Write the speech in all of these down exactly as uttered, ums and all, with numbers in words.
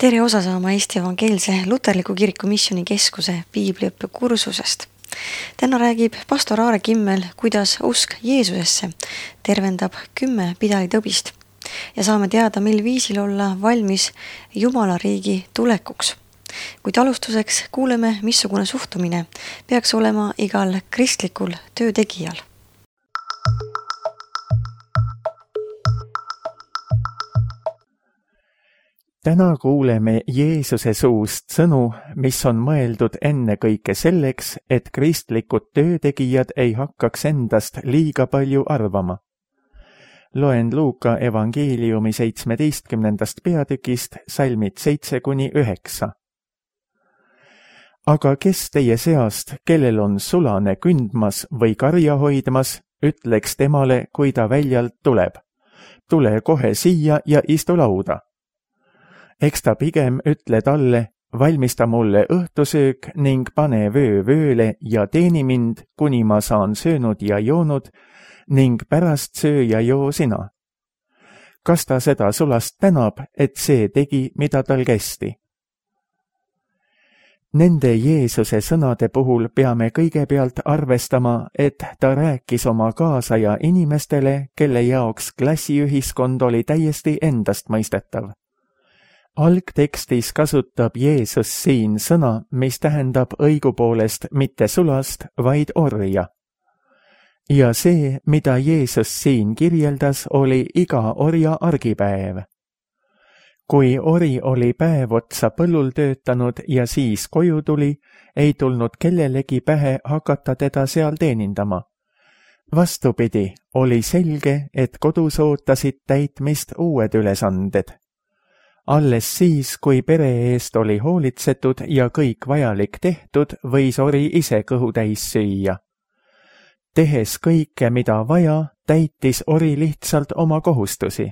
Tere osa saama Eesti Evangeelse Luterliku Kiriku Missioni Keskuse piibliõppe kursusest. Täna räägib pastor Aare Kimmel, kuidas usk Jeesusesse tervendab kümme pidalitõbist ja saame teada, mil viisil olla valmis Jumala riigi tulekuks. Kuid alustuseks kuuleme, missugune suhtumine peaks olema igal kristlikul töötegijal. Täna kuuleme Jeesuse suust sõnu, mis on mõeldud ennekõike selleks, et kristlikud töötegijad ei hakkaks endast liiga palju arvama. Loen Luuka evangeeliumi seitsmeteistkümnendast peatükist salmid seitse kuni üheksa. Aga kes teie seast, kellel on sulane kündmas või karja hoidmas, ütleks temale, kui ta väljalt tuleb. Tule kohe siia ja istu lauda. Eks ta pigem ütle talle, valmista mulle õhtusöök ning pane vöö vööle ja teeni mind, kuni ma saan söönud ja joonud, ning pärast söö ja joo sina. Kas ta seda sulast tänab, et see tegi, mida tal kästi? Nende Jeesuse sõnade puhul peame kõigepealt arvestama, et ta rääkis oma kaasaja inimestele, kelle jaoks klassiühiskond oli täiesti endastmõistetav. Algtekstis kasutab Jeesus siin sõna, mis tähendab õigupoolest mitte sulast, vaid orja. Ja see, mida Jeesus siin kirjeldas, oli iga orja argipäev. Kui ori oli päev otsa põllul töötanud ja siis koju tuli, ei tulnud kellelegi pähe hakata teda seal teenindama. Vastupidi, oli selge, et kodus ootasid täitmist uued ülesanded. Alles siis, kui pere eest oli hoolitsetud ja kõik vajalik tehtud, võis ori ise kõhu täis süüa. Tehes kõike, mida vaja, täitis ori lihtsalt oma kohustusi.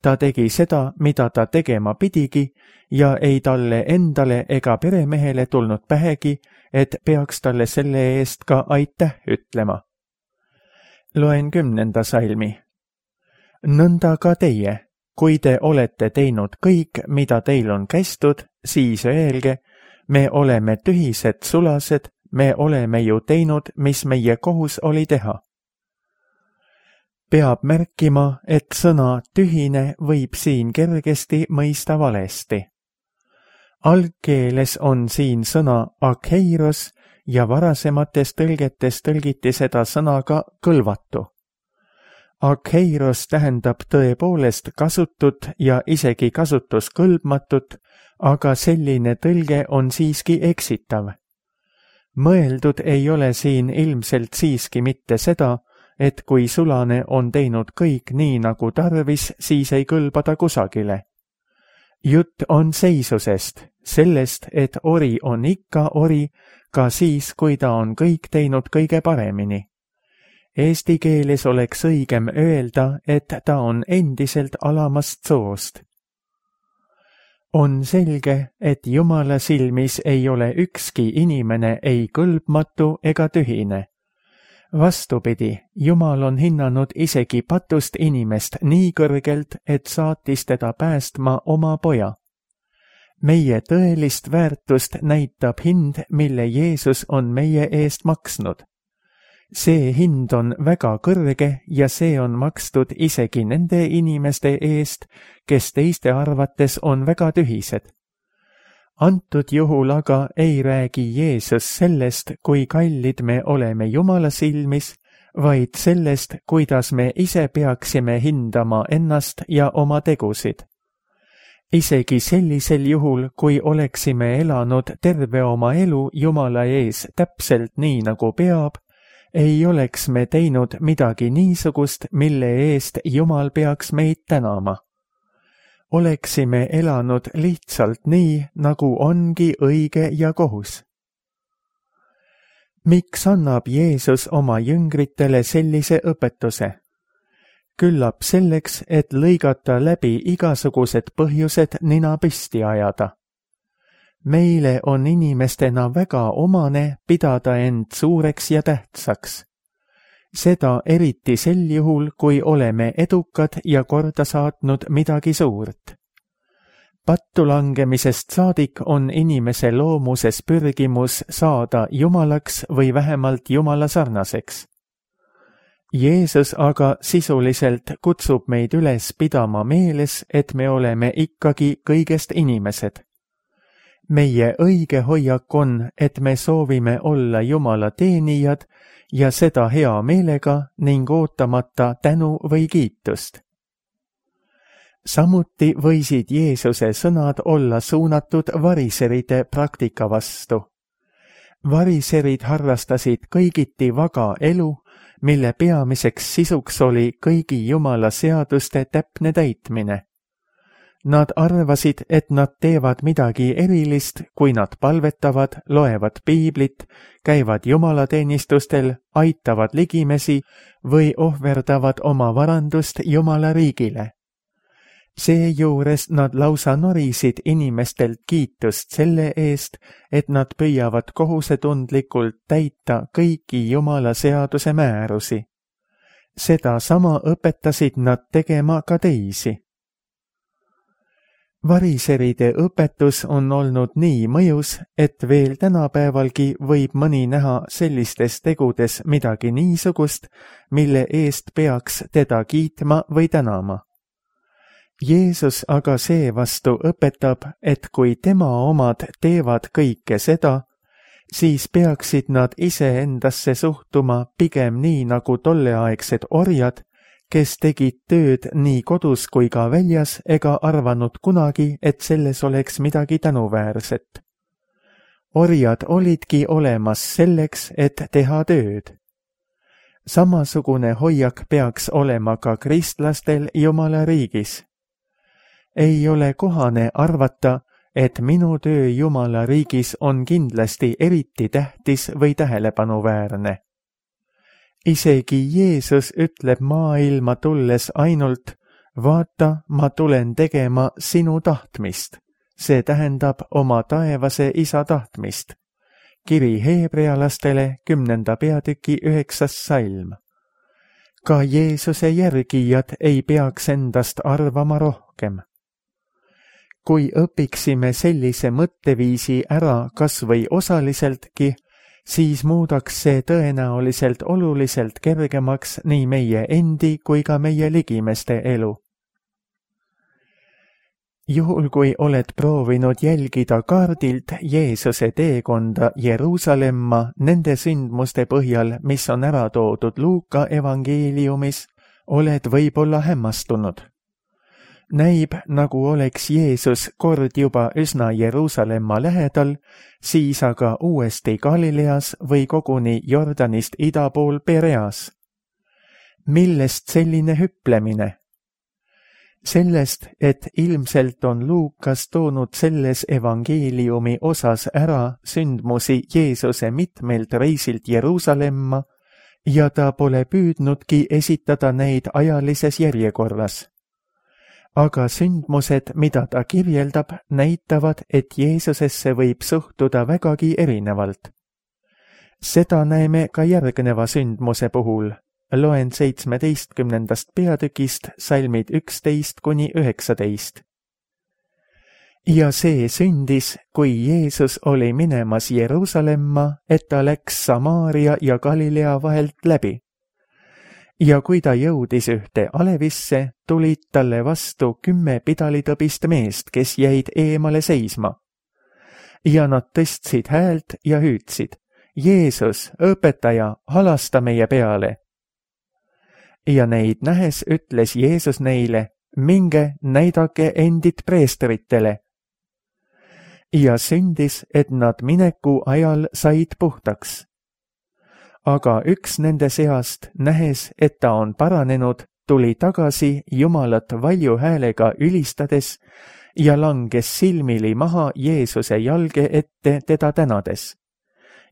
Ta tegi seda, mida ta tegema pidigi, ja ei talle endale ega peremehele tulnud pähegi, et peaks talle selle eest ka aitäh ütlema. Loen kümnenda salmi. Nõnda ka teie. Kui te olete teinud kõik, mida teil on kästud, siis öelge, me oleme tühised sulased, me oleme ju teinud, mis meie kohus oli teha. Peab märkima, et sõna tühine võib siin kergesti mõista valesti. Algkeeles on siin sõna akheiros ja varasemates tõlgetes tõlgiti seda sõnaga kõlvatu. Akheiros tähendab tõepoolest kasutut ja isegi kasutuskõlbmatut, aga selline tõlge on siiski eksitav. Mõeldud ei ole siin ilmselt siiski mitte seda, et kui sulane on teinud kõik nii nagu tarvis, siis ei kõlba ta kusagile. Jutt on seisusest, sellest, et ori on ikka ori, ka siis, kui ta on kõik teinud kõige paremini. Eesti keeles oleks õigem öelda, et ta on endiselt alamast soost. On selge, et Jumala silmis ei ole ükski inimene ei kõlbmatu ega tühine. Vastupidi, Jumal on hinnanud isegi patust inimest nii kõrgelt, et saatis teda päästma oma poja. Meie tõelist väärtust näitab hind, mille Jeesus on meie eest maksnud. See hind on väga kõrge ja see on makstud isegi nende inimeste eest, kes teiste arvates on väga tühised. Antud juhul aga ei räägi Jeesus sellest, kui kallid me oleme Jumala silmis, vaid sellest, kuidas me ise peaksime hindama ennast ja oma tegusid. Isegi sellisel juhul, kui oleksime elanud terve oma elu Jumala ees täpselt nii nagu peab, ei oleks me teinud midagi niisugust, mille eest Jumal peaks meid tänama. Oleksime elanud lihtsalt nii, nagu ongi õige ja kohus. Miks annab Jeesus oma jüngritele sellise õpetuse? Küllap selleks, et lõigata läbi igasugused põhjused nina püsti ajada. Meile on inimestena väga omane pidada end suureks ja tähtsaks. Seda eriti sel juhul, kui oleme edukad ja korda saatnud midagi suurt. pattu langemisest saadik on inimese loomuses pürgimus saada jumalaks või vähemalt jumala sarnaseks. Jeesus aga sisuliselt kutsub meid üles pidama meeles, et me oleme ikkagi kõigest inimesed. Meie õige hoiak on, et me soovime olla Jumala teenijad ja seda hea meelega ning ootamata tänu või kiitust. Samuti võisid Jeesuse sõnad olla suunatud variseride praktika vastu. Variserid harrastasid kõigiti vaga elu, mille peamiseks sisuks oli kõigi Jumala seaduste täpne täitmine. Nad arvasid, et nad teevad midagi erilist, kui nad palvetavad, loevad piiblit, käivad jumalateenistustel, aitavad ligimesi või ohverdavad oma varandust Jumala riigile. Seejuures nad lausa norisid inimestelt kiitust selle eest, et nad püüavad kohusetundlikult täita kõiki Jumala seaduse määrusi. Seda sama õpetasid nad tegema ka teisi. Variseride õpetus on olnud nii mõjus, et veel tänapäevalgi võib mõni näha sellistes tegudes midagi niisugust, mille eest peaks teda kiitma või tänama. Jeesus aga seevastu õpetab, et kui tema omad teevad kõike seda, siis peaksid nad iseendasse suhtuma pigem nii nagu tolleaegsed orjad, kes tegid tööd nii kodus kui ka väljas ega arvanud kunagi, et selles oleks midagi tänuväärset. Orjad olidki olemas selleks, et teha tööd. Samasugune hoiak peaks olema ka kristlastel Jumala riigis. Ei ole kohane arvata, et minu töö Jumala riigis on kindlasti eriti tähtis või tähelepanuväärne. Isegi Jeesus ütleb maailma tulles ainult, vaata, ma tulen tegema sinu tahtmist, see tähendab oma taevase isa tahtmist. Kiri heebrealastele kümnenda peatüki üheksas salm. Ka Jeesuse järgijad ei peaks endast arvama rohkem. Kui õpiksime sellise mõtteviisi ära kas või osaliseltki, siis muudaks see tõenäoliselt oluliselt kergemaks nii meie endi kui ka meie ligimeste elu. Juhul kui oled proovinud jälgida kaardilt Jeesuse teekonda Jeruusalemma nende sündmuste põhjal, mis on ära toodud Luuka evangeeliumis, oled võib-olla hämmastunud. Näib, nagu oleks Jeesus kord juba üsna Jeruusalemma lähedal, siis aga uuesti Galileas või koguni Jordanist ida pool Pereas. Millest selline hüplemine? Sellest, et ilmselt on Luukas toonud selles evangeeliumi osas ära sündmusi Jeesuse mitmelt reisilt Jeruusalemma ja ta pole püüdnudki esitada neid ajalises järjekorras. Aga sündmused, mida ta kirjeldab, näitavad, et Jeesusesse võib suhtuda vägagi erinevalt. Seda näeme ka järgneva sündmuse puhul. Loen seitsmeteistkümnendast peatükist salmid üksteist kuni üheksateist. Ja see sündis, kui Jeesus oli minemas Jeruusalemma, et ta läks Samaaria ja Galilea vahelt läbi. Ja kui ta jõudis ühte alevisse, tulid talle vastu kümme pidalitõbist meest, kes jäid eemale seisma. Ja nad tõstsid häält ja hüüdsid, Jeesus, õpetaja, halasta meie peale. Ja neid nähes ütles Jeesus neile, minge näidake endid preestritele. Ja sündis, et nad mineku ajal said puhtaks. Aga üks nende seast, nähes, et ta on paranenud, tuli tagasi Jumalat valju häälega ülistades ja langes silmili maha Jeesuse jalge ette teda tänades.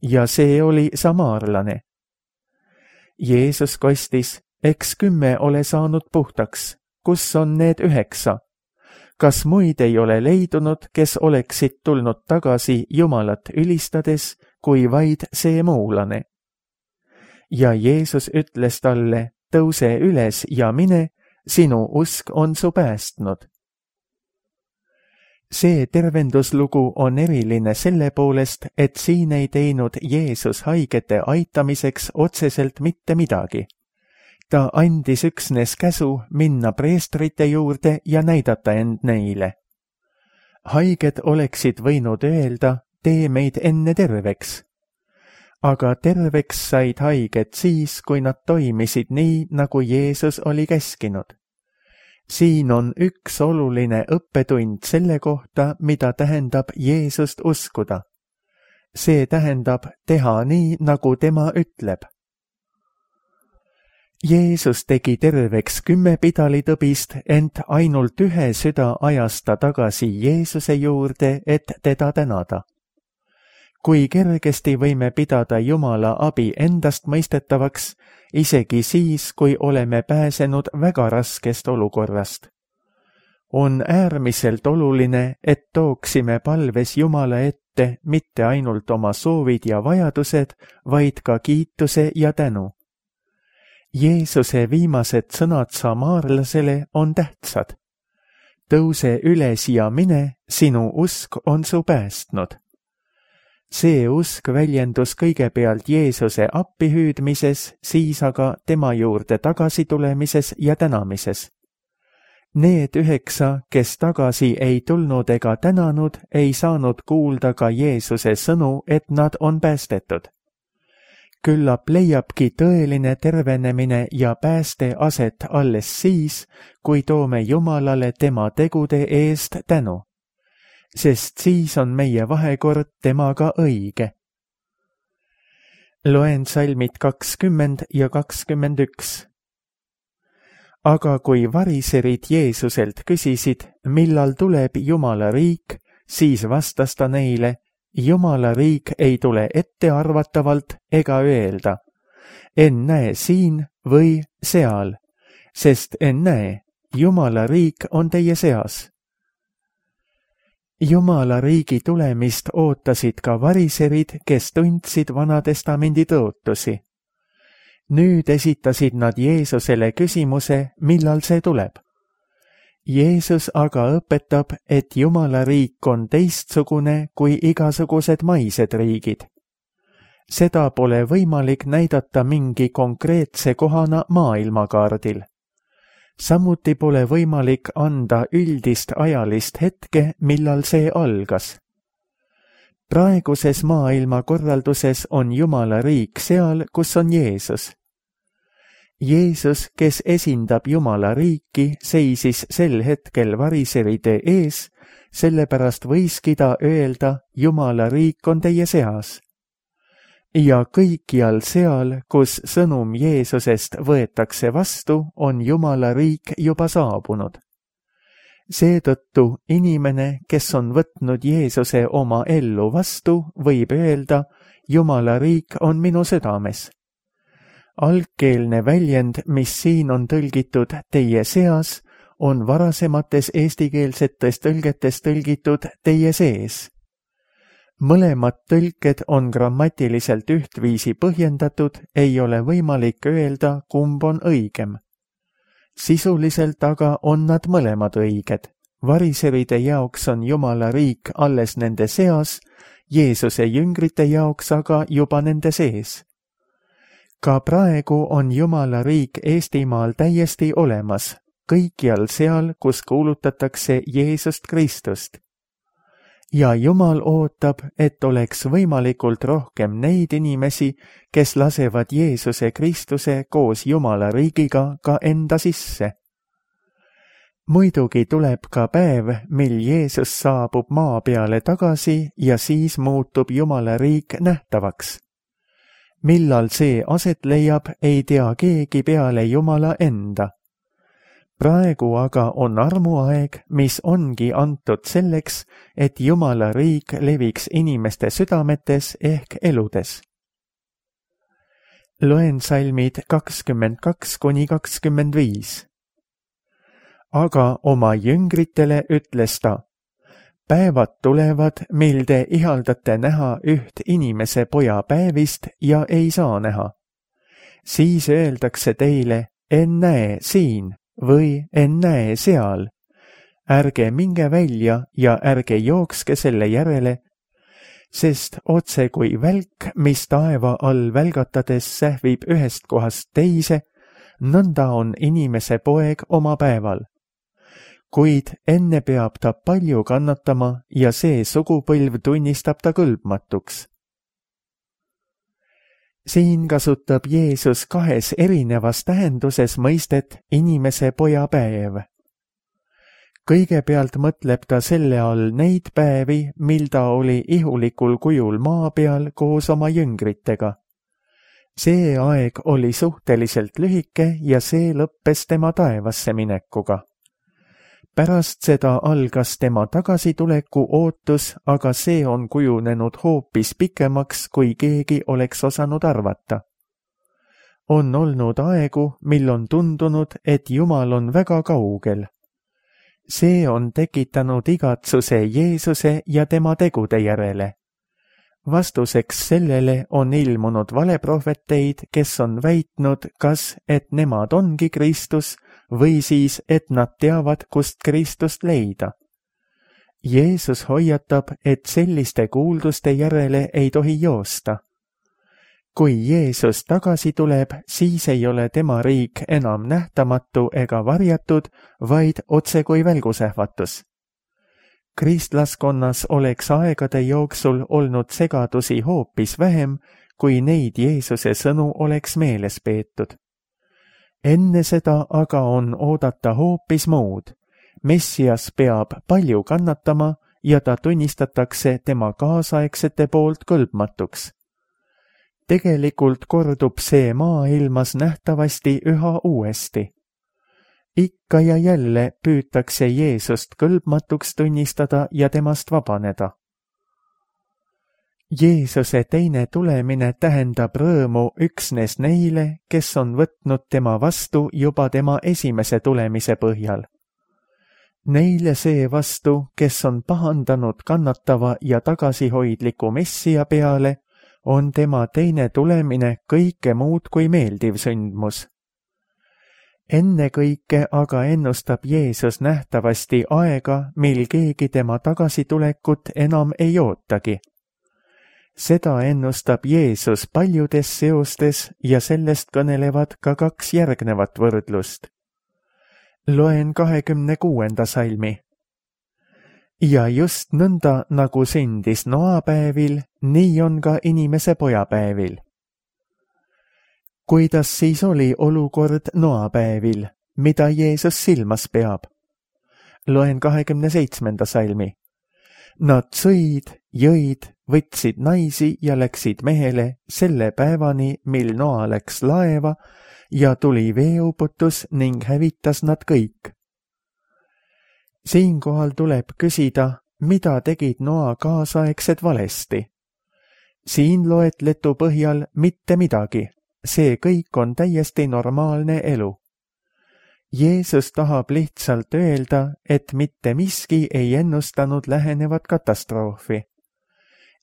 Ja see oli samaarlane. Jeesus kostis, eks kümme ole saanud puhtaks, kus on need üheksa? Kas muid ei ole leidunud, kes oleksid tulnud tagasi Jumalat ülistades, kui vaid see muulane? Ja Jeesus ütles talle, tõuse üles ja mine, sinu usk on su päästnud. see tervenduslugu on eriline selle poolest, et siin ei teinud Jeesus haigete aitamiseks otseselt mitte midagi. Ta andis üksnes käsu minna preestrite juurde ja näidata end neile. Haiged oleksid võinud öelda, tee meid enne terveks. Aga terveks said haiged siis, kui nad toimisid nii, nagu Jeesus oli käskinud. Siin on üks oluline õppetund selle kohta, mida tähendab Jeesust uskuda. See tähendab teha nii, nagu tema ütleb. Jeesus tegi terveks kümme pidalitõbist, ent ainult ühe süda ajas ta tagasi Jeesuse juurde, et teda tänada. Kui kergesti võime pidada Jumala abi endast mõistetavaks, isegi siis, kui oleme pääsenud väga raskest olukorrast. On äärmiselt oluline, et tooksime palves Jumala ette mitte ainult oma soovid ja vajadused, vaid ka kiituse ja tänu. Jeesuse viimased sõnad samaarlasele on tähtsad. Tõuse üles ja mine, sinu usk on su päästnud. See usk väljendus kõigepealt Jeesuse appihüüdmises, siis aga tema juurde tagasi tulemises ja tänamises. Need üheksa, kes tagasi ei tulnud ega tänanud, ei saanud kuulda ka Jeesuse sõnu, et nad on päästetud. Küllap leiabki tõeline tervenemine ja pääste aset alles siis, kui toome Jumalale tema tegude eest tänu. Sest siis on meie vahekord temaga õige. Loen salmid kakskümmend ja kakskümmend üks. Aga kui variserid Jeesuselt küsisid, millal tuleb Jumala riik, siis vastas ta neile, Jumala riik ei tule ettearvatavalt ega öelda, ennäe siin või seal, sest ennäe, Jumala riik on teie seas. Jumala riigi tulemist ootasid ka variserid, kes tundsid Vanatestamendi tõotusi. Nüüd esitasid nad Jeesusele küsimuse, millal see tuleb. Jeesus aga õpetab, et Jumala riik on teistsugune kui igasugused maised riigid. Seda pole võimalik näidata mingi konkreetse kohana maailmakaardil. Samuti pole võimalik anda üldist ajalist hetke, millal see algas. Praeguses maailmakorralduses on Jumala riik seal, kus on Jeesus. Jeesus, kes esindab Jumala riiki, seisis sel hetkel variseride ees, sellepärast võiski ta öelda, Jumala riik on teie seas. Ja kõikjal seal, kus sõnum Jeesusest võetakse vastu, on Jumala riik juba saabunud. Seetõttu inimene, kes on võtnud Jeesuse oma ellu vastu, võib öelda, Jumala riik on minu südames. Algkeelne väljend, mis siin on tõlgitud teie seas, on varasemates eestikeelsetes tõlgetes tõlgitud teie sees. Mõlemad tõlked on grammatiliselt ühtviisi põhjendatud, ei ole võimalik öelda, kumb on õigem. Sisuliselt aga on nad mõlemad õiged. Variseride jaoks on Jumala riik alles nende seas, Jeesuse jüngrite jaoks aga juba nende sees. Ka praegu on Jumala riik Eestimaal täiesti olemas, kõikjal seal, kus kuulutatakse Jeesust Kristust. Ja Jumal ootab, et oleks võimalikult rohkem neid inimesi, kes lasevad Jeesuse Kristuse koos Jumala riigiga ka enda sisse. Muidugi tuleb ka päev, mil Jeesus saabub maa peale tagasi ja siis muutub Jumala riik nähtavaks. Millal see aset leiab, ei tea keegi peale Jumala enda. Praegu aga on armuaeg, mis ongi antud selleks, et Jumala riik leviks inimeste südametes ehk eludes. Loen salmid kakskümmend kaks kuni kakskümmend viis. Aga oma jüngritele ütles ta, päevad tulevad, mil te ihaldate näha üht inimese poja päevist ja ei saa näha. Siis öeldakse teile, ennäe siin või ennäe seal. ärge minge välja ja ärge jookske selle järele, sest otse kui välk, mis taeva all välgatades sähvib ühest kohast teise, nõnda on inimese poeg oma päeval. Kuid enne peab ta palju kannatama ja see sugupõlv tunnistab ta kõlbmatuks. Siin kasutab Jeesus kahes erinevas tähenduses mõistet inimese poja päev. Kõigepealt mõtleb ta selle all neid päevi, mil ta oli ihulikul kujul maa peal koos oma jüngritega. See aeg oli suhteliselt lühike ja see lõppes tema taevasse minekuga. Pärast seda algas tema tagasituleku ootus, aga see on kujunenud hoopis pikemaks, kui keegi oleks osanud arvata. On olnud aegu, mil on tundunud, et Jumal on väga kaugel. See on tekitanud igatsuse Jeesuse ja tema tegude järele. Vastuseks sellele on ilmunud valeprohveteid, kes on väitnud, kas et nemad ongi Kristus või siis, et nad teavad, kust Kristust leida. Jeesus hoiatab, et selliste kuulduste järele ei tohi joosta. Kui Jeesus tagasi tuleb, siis ei ole tema riik enam nähtamatu ega varjatud, vaid otse kui välgusähvatus. Kristlaskonnas oleks aegade jooksul olnud segadusi hoopis vähem, kui neid Jeesuse sõnu oleks meeles peetud. Enne seda aga on oodata hoopis muud. Messias peab palju kannatama ja ta tunnistatakse tema kaasaegsete poolt kõlbmatuks. Tegelikult kordub see maailmas nähtavasti üha uuesti. Ikka ja jälle püütakse Jeesust kõlbmatuks tunnistada ja temast vabaneda. Jeesuse teine tulemine tähendab rõõmu üksnes neile, kes on võtnud tema vastu juba tema esimese tulemise põhjal. Neile see vastu, kes on pahandanud kannatava ja tagasihoidliku messia peale, on tema teine tulemine kõike muud kui meeldiv sündmus. Ennekõike aga ennustab Jeesus nähtavasti aega, mil keegi tema tagasitulekut enam ei ootagi. Seda ennustab Jeesus paljudes seostes ja sellest kõnelevad ka kaks järgnevat võrdlust. Loen kahekümne kuuenda salmi. Ja just nõnda, nagu sündis Noa päevil, nii on ka inimese poja päevil. Kuidas siis oli olukord Noa päevil, mida Jeesus silmas peab? Loen kahekümne seitsmenda salmi. Nad sõid, jõid, võtsid naisi ja läksid mehele selle päevani, mil Noa läks laeva ja tuli veeuputus ning hävitas nad kõik. Siinkohal tuleb küsida, mida tegid Noa kaasaegsed valesti. Siin loetletu põhjal mitte midagi, see kõik on täiesti normaalne elu. Jeesus tahab lihtsalt öelda, et mitte miski ei ennustanud lähenevat katastroofi.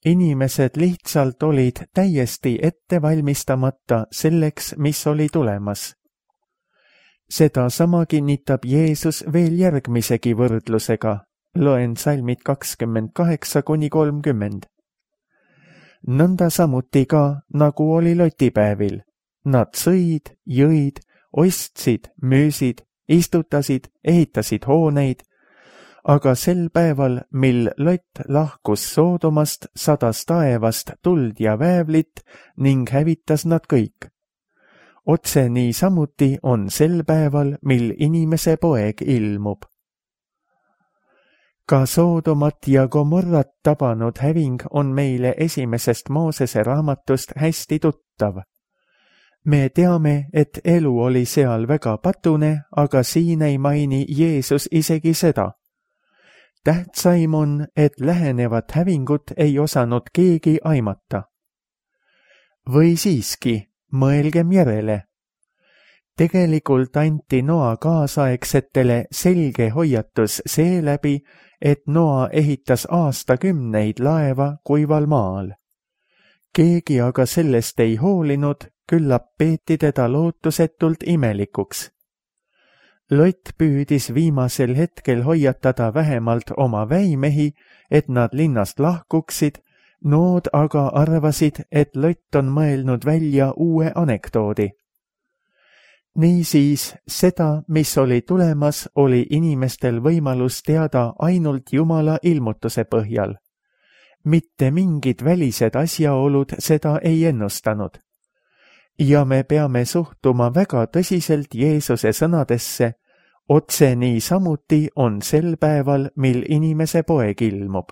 Inimesed lihtsalt olid täiesti ette valmistamata selleks, mis oli tulemas. Seda sama kinnitab Jeesus veel järgmisegi võrdlusega. Loen salmid kakskümmend kaheksa kuni kolmkümmend. Nõnda samuti ka, nagu oli Lotipäevil. Nad sõid, jõid, ostsid, müüsid, istutasid, ehitasid hooneid, aga sel päeval, mil Lot lahkus Soodomast, sadas taevast tuld ja väävlit ning hävitas nad kõik. Otse nii samuti on sel päeval, mil inimese poeg ilmub. Ka Soodomat ja Gomorrat tabanud häving on meile esimesest Moosese raamatust hästi tuttav. Me teame, et elu oli seal väga patune, aga siin ei maini Jeesus isegi seda. Tähtsaim on, et lähenevat hävingut ei osanud keegi aimata. Või siiski, mõelgem järele. Tegelikult anti Noa kaasaegsetele selge hoiatus seeläbi, et Noa ehitas aastakümneid laeva kuival maal. Keegi aga sellest ei hoolinud, küllap peeti teda lootusetult imelikuks. Lott püüdis viimasel hetkel hoiatada vähemalt oma väimehi, et nad linnast lahkuksid, nood aga arvasid, et Lott on mõelnud välja uue anekdoodi. Niisiis, seda, mis oli tulemas, oli inimestel võimalus teada ainult Jumala ilmutuse põhjal. Mitte mingid välised asjaolud seda ei ennustanud. Ja me peame suhtuma väga tõsiselt Jeesuse sõnadesse, otse nii samuti on sel päeval, mil inimese poeg ilmub.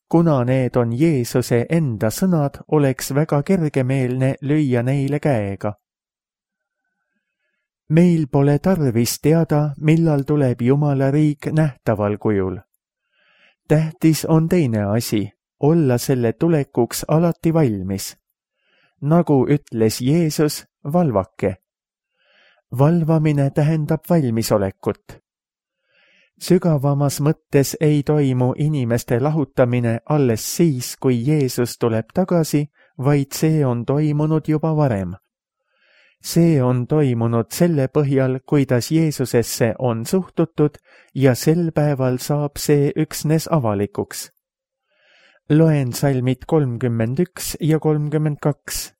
Kuna need on Jeesuse enda sõnad, oleks väga kergemeelne lüüa neile käega. Meil pole tarvis teada, millal tuleb Jumala riik nähtaval kujul. Tähtis on teine asi, olla selle tulekuks alati valmis. Nagu ütles Jeesus, valvake. Valvamine tähendab valmisolekut. Sügavamas mõttes ei toimu inimeste lahutamine alles siis, kui Jeesus tuleb tagasi, vaid see on toimunud juba varem. See on toimunud selle põhjal, kuidas Jeesusesse on suhtutud ja sel päeval saab see üksnes avalikuks. Loen salmid kolmkümmend üks ja kolmkümmend kaks.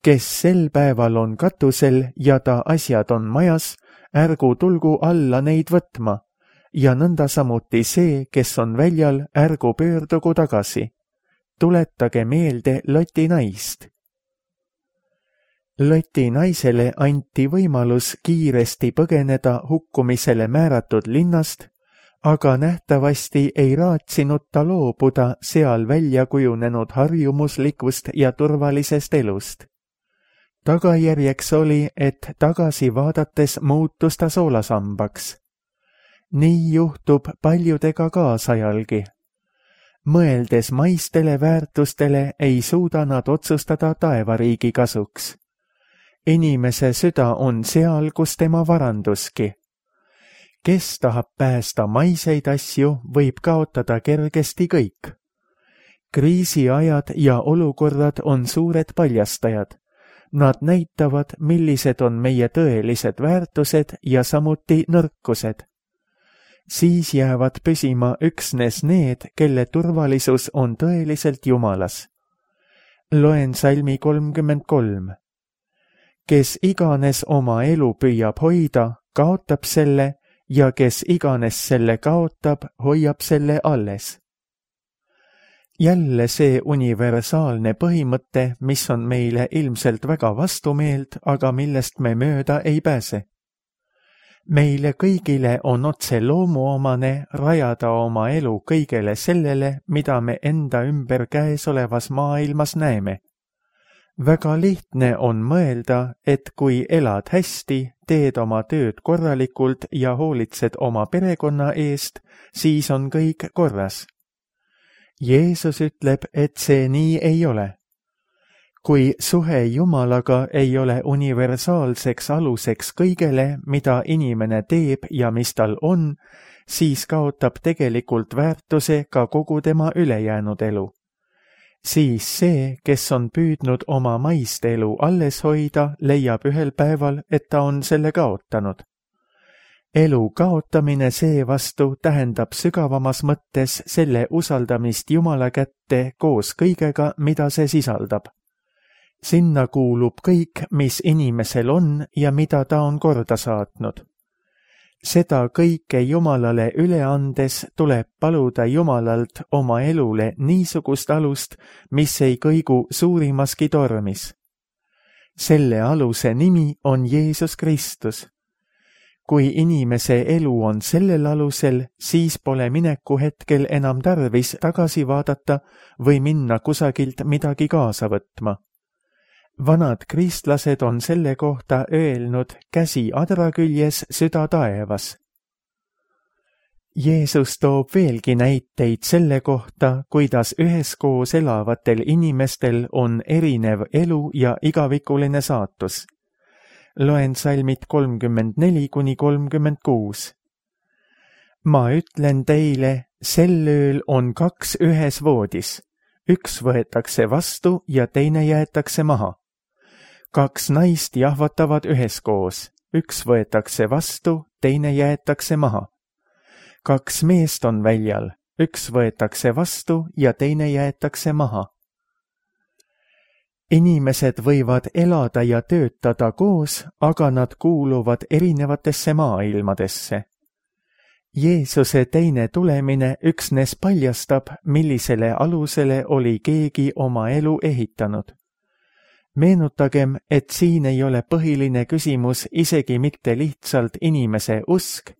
Kes sel päeval on katusel ja ta asjad on majas, ärgu tulgu alla neid võtma, ja nõnda samuti see, kes on väljal, ärgu pöördugu tagasi. Tuletage meelde Loti naist. Loti naisele anti võimalus kiiresti põgeneda hukkumisele määratud linnast, aga nähtavasti ei raatsinud ta loobuda seal välja kujunenud harjumuslikust ja turvalisest elust. Tagajärjeks oli, et tagasi vaadates muutus ta soolasambaks. Nii juhtub paljudega kaasajalgi. Mõeldes maistele väärtustele ei suuda nad otsustada taevariigi kasuks. Inimese süda on seal, kus tema varanduski. Kes tahab päästa maiseid asju, võib kaotada kergesti kõik. Kriisiajad ja olukorrad on suured paljastajad. Nad näitavad, millised on meie tõelised väärtused ja samuti nõrkused. Siis jäävad püsima üksnes need, kelle turvalisus on tõeliselt Jumalas. Loen salmi kolmkümmend kolm. Kes iganes oma elu püüab hoida, kaotab selle, ja kes iganes selle kaotab, hoiab selle alles. Jälle see universaalne põhimõte, mis on meile ilmselt väga vastumeelt, aga millest me mööda ei pääse. Meile kõigile on otse loomuomane rajada oma elu kõigele sellele, mida me enda ümber käesolevas maailmas näeme. Väga lihtne on mõelda, et kui elad hästi, teed oma tööd korralikult ja hoolitsed oma perekonna eest, siis on kõik korras. Jeesus ütleb, et see nii ei ole. Kui suhe Jumalaga ei ole universaalseks aluseks kõigele, mida inimene teeb ja mis tal on, siis kaotab tegelikult väärtuse ka kogu tema ülejäänud elu. Siis see, kes on püüdnud oma maist elu alles hoida, leiab ühel päeval, et ta on selle kaotanud. Elu kaotamine seevastu tähendab sügavamas mõttes selle usaldamist Jumala kätte koos kõigega, mida see sisaldab. Sinna kuulub kõik, mis inimesel on ja mida ta on korda saatnud. Seda kõike Jumalale üle andes tuleb paluda Jumalalt oma elule niisugust alust, mis ei kõigu suurimaski tormis. Selle aluse nimi on Jeesus Kristus. Kui inimese elu on sellel alusel, siis pole mineku hetkel enam tarvis tagasi vaadata või minna kusagilt midagi kaasa võtma. Vanad kristlased on selle kohta öelnud käsi adra küljes, süda taevas. Jeesus toob veelgi näiteid selle kohta, kuidas üheskoos elavatel inimestel on erinev elu ja igavikuline saatus. Loen salmid kolmkümmend neli kuni kolmkümmend kuus. Ma ütlen teile, sel ööl on kaks ühes voodis. Üks võetakse vastu ja teine jäetakse maha. Kaks naist jahvatavad üheskoos. üks võetakse vastu, teine jäetakse maha. kaks meest on väljal, üks võetakse vastu ja teine jäetakse maha. Inimesed võivad elada ja töötada koos, aga nad kuuluvad erinevatesse maailmadesse. Jeesuse teine tulemine üksnes paljastab, millisele alusele oli keegi oma elu ehitanud. Meenutagem, et siin ei ole põhiline küsimus isegi mitte lihtsalt inimese usk,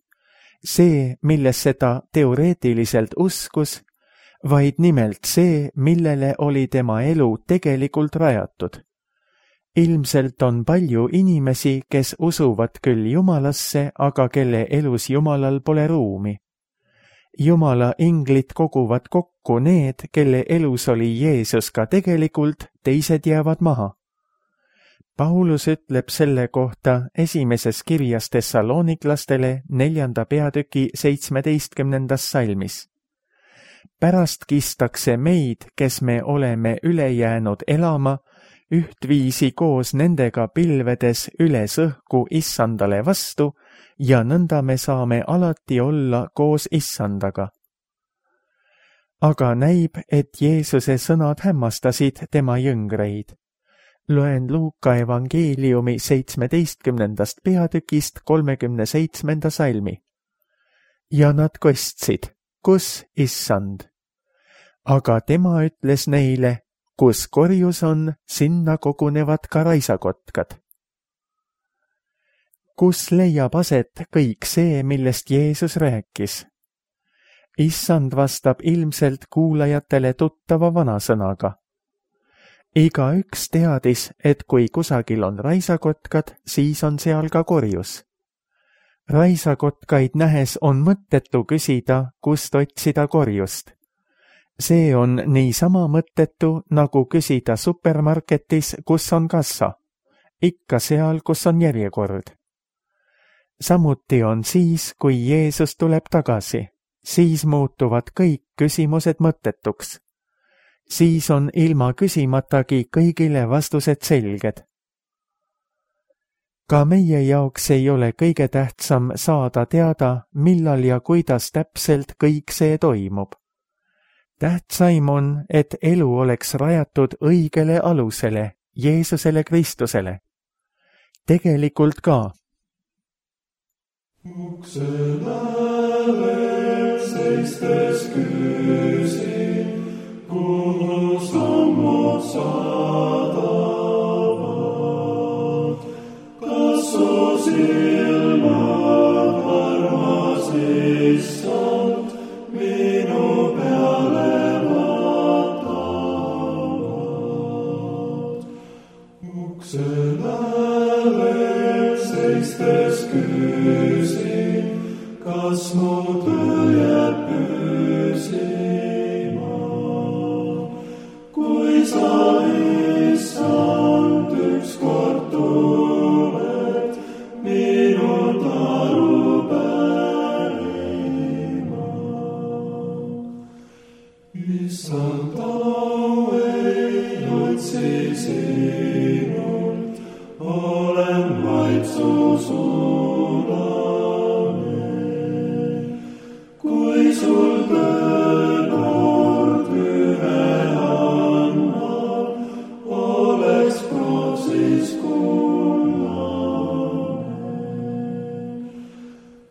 see, millesse ta teoreetiliselt uskus, vaid nimelt see, millele oli tema elu tegelikult rajatud. Ilmselt on palju inimesi, kes usuvad küll Jumalasse, aga kelle elus Jumalal pole ruumi. Jumala inglid koguvad kokku need, kelle elus oli Jeesus ka tegelikult, teised jäävad maha. Paulus ütleb selle kohta esimeses kirjas Thessaloniklastele neljanda peatüki seitsmeteistkümnendas salmis. Pärast kistakse meid, kes me oleme üle jäänud elama, ühtviisi koos nendega pilvedes üles õhku Issandale vastu ja nõnda me saame alati olla koos Issandaga. Aga näib, et Jeesuse sõnad hämmastasid tema jüngreid. Loen Luuka evangeeliumi seitsmeteistkümnendast peatükist kolmekümne seitsmenda salmi. Ja nad kostsid, kus Issand? Aga tema ütles neile, kus korjus on, sinna kogunevad ka raisakotkad. Kus leiab aset kõik see, millest Jeesus rääkis? Issand vastab ilmselt kuulajatele tuttava vanasõnaga. Igaüks teadis, et kui kusagil on raisakotkad, siis on seal ka korjus. Raisakotkaid nähes on mõttetu küsida, kust otsida korjust. See on niisama mõttetu, nagu küsida supermarketis, kus on kassa. Ikka seal, kus on järjekord. Samuti on siis, kui Jeesus tuleb tagasi. Siis muutuvad kõik küsimused mõttetuks. Siis on ilma küsimatagi kõigile vastused selged. Ka meie jaoks ei ole kõige tähtsam saada teada, millal ja kuidas täpselt kõik see toimub. Tähtsaim on, et elu oleks rajatud õigele alusele, Jeesusele Kristusele. Tegelikult ka. Ukse lävel seistes küsin, kuhu sammud saadavad. Kas su silmad armas Issand minu peale vaatavad? Ukse lävel seistes küsin, kas mu töö jääb püsima? Kui sa, Issand, ükskord tuled minult aru pärima. Issand, au ei otsi sinult, olen vaid su sulane. Kui sul tõekord ühe annab, oleks prooksis kullane.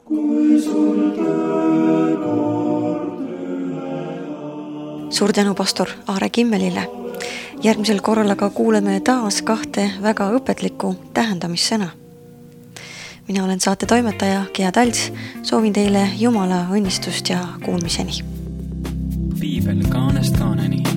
Kui sul tõekord ühe annab. Suur tänu pastor Aare Kimmelile. Järgmisel korral aga kuuleme taas kahte väga õpetlikku tähendamissõna. Mina olen saate toimetaja Gea Talts, soovin teile Jumala õnnistust ja kuulmiseni. Piibel kaanest kaaneni.